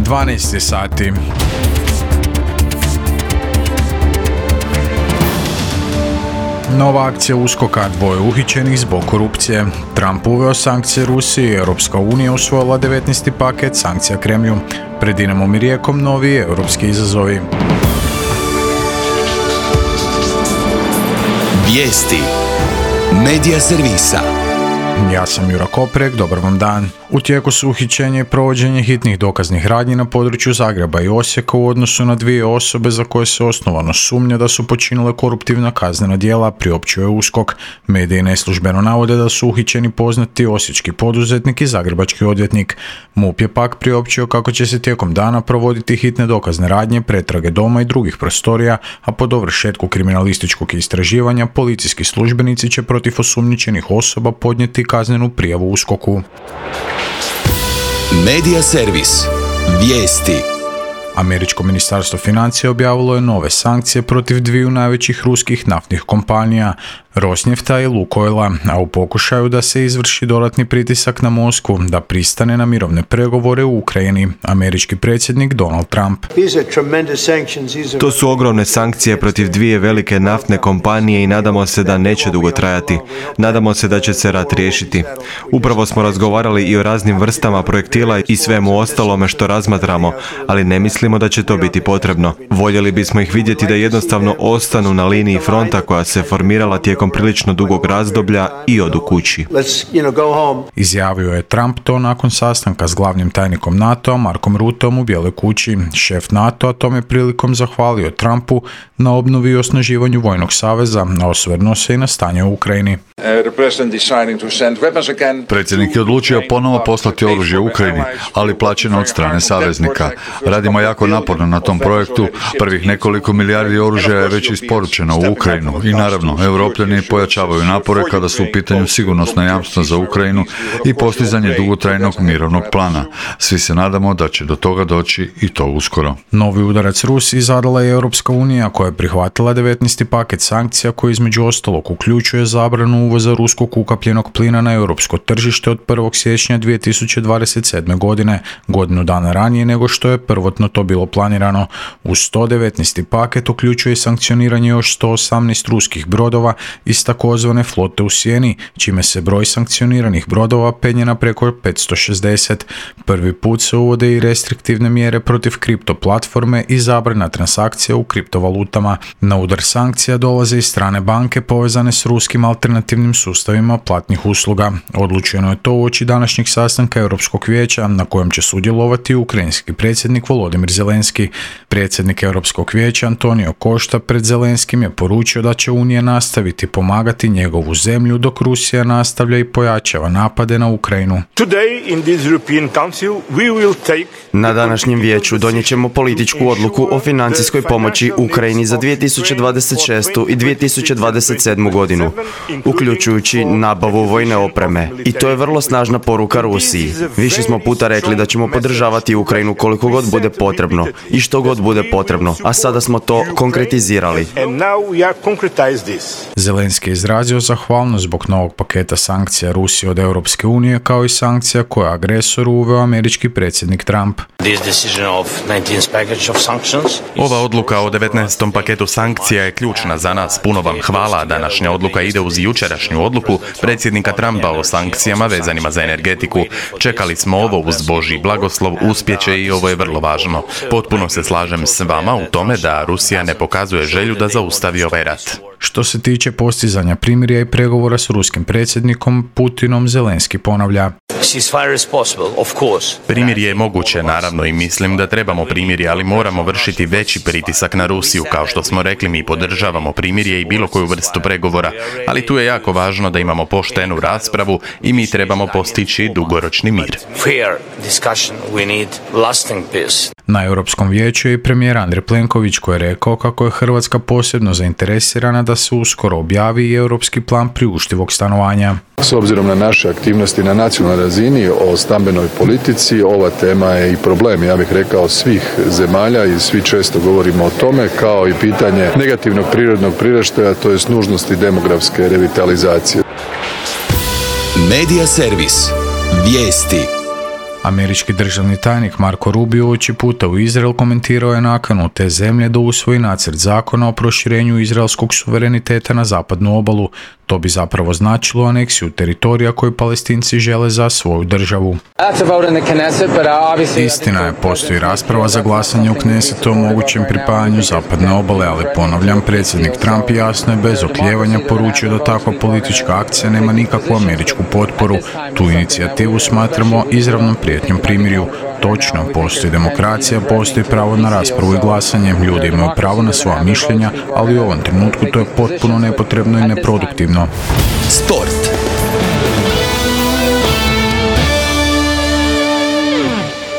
12 sati. Nova akcija USKOK-a, 2 uhićenih zbog korupcije. Trump uveo sankcije Rusiji, Europska unija usvojila 19. paket sankcija Kremlju. Pred Dinamom i Rijekom novi europski izazovi. Vijesti Medija servisa. Ja sam Jura Koprek, dobar vam dan. U tijeku su uhićenje i provođenje hitnih dokaznih radnji na području Zagreba i Osijeka u odnosu na 2 osobe za koje se osnovano sumnja da su počinile koruptivna kaznena djela, priopćio je USKOK. Mediji neslužbeno navode da su uhićeni poznati osječki poduzetnik i zagrebački odvjetnik. MUP je pak priopćio kako će se tijekom dana provoditi hitne dokazne radnje, pretrage doma i drugih prostorija, a po dovršetku kriminalističkog istraživanja policijski službenici će protiv osumnjičenih osoba podnijeti kaznenu prijavu USKOK-u. Medija servis. Vijesti. Američko ministarstvo financija objavilo je nove sankcije protiv 2 najvećih ruskih naftnih kompanija, Rosnefta i Lukoila, a u pokušaju da se izvrši dodatni pritisak na Moskvu da pristane na mirovne pregovore u Ukrajini, američki predsjednik Donald Trump. To su ogromne sankcije protiv 2 velike naftne kompanije i nadamo se da neće dugo trajati. Nadamo se da će se rat riješiti. Upravo smo razgovarali i o raznim vrstama projektila i svemu ostalome što razmatramo, ali ne mislimo da će to biti potrebno. Voljeli bismo ih vidjeti da jednostavno ostanu na liniji fronta koja se formirala tijekom prilično dugog razdoblja i odu kući. Izjavio je Trump to nakon sastanka s glavnim tajnikom NATO-a Markom Rutteom u Bijeloj kući. Šef NATO-a tom je prilikom zahvalio Trumpu na obnovi i osnaživanju vojnog saveza, a osvrnuo se i na stanje u Ukrajini. Predsjednik je odlučio ponovo poslati oružje u Ukrajini, ali plaćeno od strane saveznika. Radimo jako naporno na tom projektu. Prvih nekoliko milijardi oružja je već isporučeno u Ukrajinu i naravno, Europljani pojačavaju napore kada su u pitanju sigurnosna jamstva za Ukrajinu i postizanje dugotrajnog mirovnog plana. Svi se nadamo da će do toga doći i to uskoro. Novi udarac Rusiji zadala je Europska unija koja je prihvatila 19. paket sankcija koji između ostalog uključuje zabranu uvoza ruskog ukapljenog plina na europsko tržište od 1. siječnja 2027. godine, godinu dana ranije nego što je prvotno to bilo planirano. Uz 119. paket uključuje sankcioniranje još 118 ruskih brodova iz takozvane flote u sjeni, čime se broj sankcioniranih brodova penje na preko 560. Prvi put se uvode i restriktivne mjere protiv kripto platforme i zabrana transakcija u kriptovalutama. Na udar sankcija dolaze i strane banke povezane s ruskim alternativnim sustavima platnih usluga. Odlučeno je to uoči današnjeg sastanka Europskog vijeća na kojem će sudjelovati ukrajinski predsjednik Volodimir Zelenski. Predsjednik Europskog vijeća Antonio Costa pred Zelenskim je poručio da će Unija nastaviti pomagati njegovu zemlju dok Rusija nastavlja i pojačava napade na Ukrajinu. Na današnjem vijeću donijet ćemo političku odluku o financijskoj pomoći Ukrajini za 2026. i 2027. godinu, uključujući nabavu vojne opreme. I to je vrlo snažna poruka Rusiji. Više smo puta rekli da ćemo podržavati Ukrajinu koliko god bude potrebno i što god bude potrebno, a sada smo to konkretizirali. Zelenski je izrazio zahvalnost zbog novog paketa sankcija Rusije od Europske unije, kao i sankcija koje je agresoru uveo američki predsjednik Trump. Ova odluka o 19. paketu sankcija je ključna za nas. Puno vam hvala. Današnja odluka ide uz jučerašnju odluku predsjednika Trumpa o sankcijama vezanima za energetiku. Čekali smo ovo uz Božji blagoslov, uspjeće i ovo je vrlo važno. Potpuno se slažem s vama u tome da Rusija ne pokazuje želju da zaustavi ovaj rat. Što se tiče postizanja primirja i pregovora s ruskim predsjednikom Putinom, Zelenski ponavlja. Primirje je moguće, naravno, i mislim da trebamo primirje, ali moramo vršiti veći pritisak na Rusiju. Kao što smo rekli, mi podržavamo primirje i bilo koju vrstu pregovora, ali tu je jako važno da imamo poštenu raspravu i mi trebamo postići dugoročni mir. Na Europskom vijeću je i premijer Andrej Plenković koji je rekao kako je Hrvatska posebno zainteresirana da se uskoro objavi i europski plan priuštivog stanovanja. S obzirom na naše aktivnosti na nacionalnoj razini o stambenoj politici, ova tema je i problem, ja bih rekao, svih zemalja i svi često govorimo o tome, kao i pitanje negativnog prirodnog priraštaja, to jest nužnosti demografske revitalizacije. Medija servis. Vijesti. Američki državni tajnik Marko Rubio oči puta u Izrael komentirao je nakanu te zemlje da usvoji nacrt zakona o proširenju izraelskog suvereniteta na zapadnu obalu. To bi zapravo značilo aneksiju teritorija koju Palestinci žele za svoju državu. Istina je, postoji rasprava za glasanje u Knesetu o mogućem pripajanju zapadne obale, ali ponavljam, predsjednik Trump jasno je bez oklijevanja poručio da takva politička akcija nema nikakvu američku potporu. Tu inicijativu smatramo izravnom prijetnjom primirju. Točno, postoji demokracija, postoji pravo na raspravu i glasanje, ljudi imaju pravo na svoja mišljenja, ali u ovom trenutku to je potpuno nepotrebno i neproduktivno. Sport.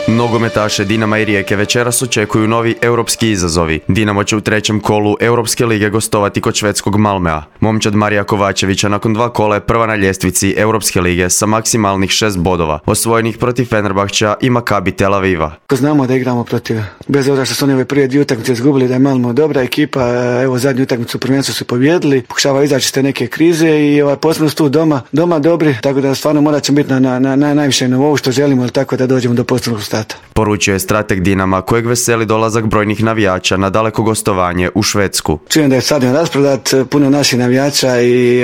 Nogometaše Dinama i Rijeke večeras očekuju novi europski izazovi. Dinamo će u trećem kolu Europske lige gostovati kod švedskog Malmea. Momčad Marija Kovačevića nakon 2 kola je prva na ljestvici Europske lige sa maksimalnih 6 bodova, osvojenih protiv Fenerbahča i Maccabi Tel Aviva. Znamo da igramo protiv, bez obzira što su oni ove prije 2 utakmice izgubili, da je Malmo dobra ekipa, evo zadnju utakmicu u prvenstvu su pobijedili, pokušava izaći iz te neke krize i posebno su tu doma dobri, tako da stvarno morat ćemo biti na najvišem nivou što želimo, ali tako da dođemo do posebnog stata. Poručio je strateg Dinama, kojeg veseli dolazak brojnih navijača na daleko gostovanje u Švedsku. Čujem da je stadion rasprodat, puno naših navijača i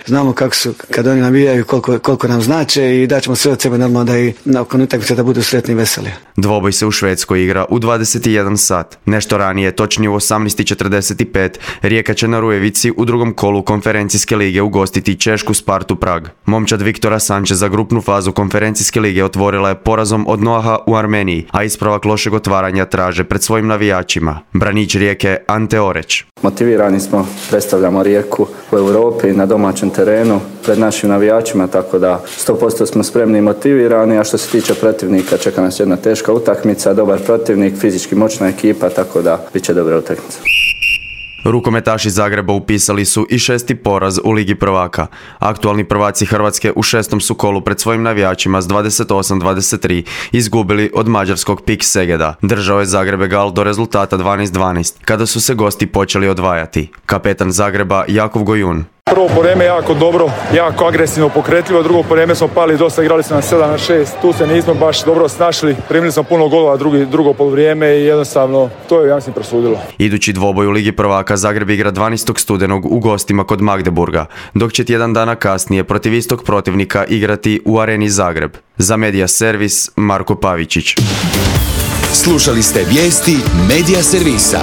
znamo kako su kad oni navijaju, koliko nam znače i daćemo sve od sebe normalno da i nakon utakmice da budu sretni i veseli. Dvoboj se u Švedskoj igra u 21 sat. Nešto ranije, točnije u 18:45, Rijeka će na Rujevici u drugom kolu konferencijske lige ugostiti češku Spartu Prag. Momčad Viktora Sančeza grupnu fazu konferencijske lige otvorila je porazom od Noaha u Armeniji, a ispravak lošeg otvaranja traže pred svojim navijačima. Branić Rijeke Ante Oreć. Motivirani smo, predstavljamo Rijeku u Europi na domaćem terenu pred našim navijačima, tako da 100% smo spremni i motivirani, a što se tiče protivnika čeka nas jedna teška utakmica, dobar protivnik, fizički moćna ekipa, tako da bit će dobra utakmica. Rukometaši Zagreba upisali su i 6. poraz u Ligi prvaka. Aktualni prvaci Hrvatske u 6. su kolu pred svojim navijačima s 28-23 izgubili od mađarskog PIK Segeda. Držao je Zagrebegal do rezultata 12-12, kada su se gosti počeli odvajati. Kapetan Zagreba Jakov Gojun. Prvo povreme jako dobro, jako agresivno, pokretljivo, drugo povreme smo pali dosta, igrali smo na 7-6, tu se nismo baš dobro snašli, primili smo puno golova drugo polovrijeme i jednostavno to je, ja mislim, prosudilo. Idući dvoboj u Ligi prvaka Zagreb igra 12. studenog u gostima kod Magdeburga, dok će tjedan dana kasnije protiv istog protivnika igrati u Areni Zagreb. Za Medija Servis, Marko Pavičić. Slušali ste vijesti Medija Servisa.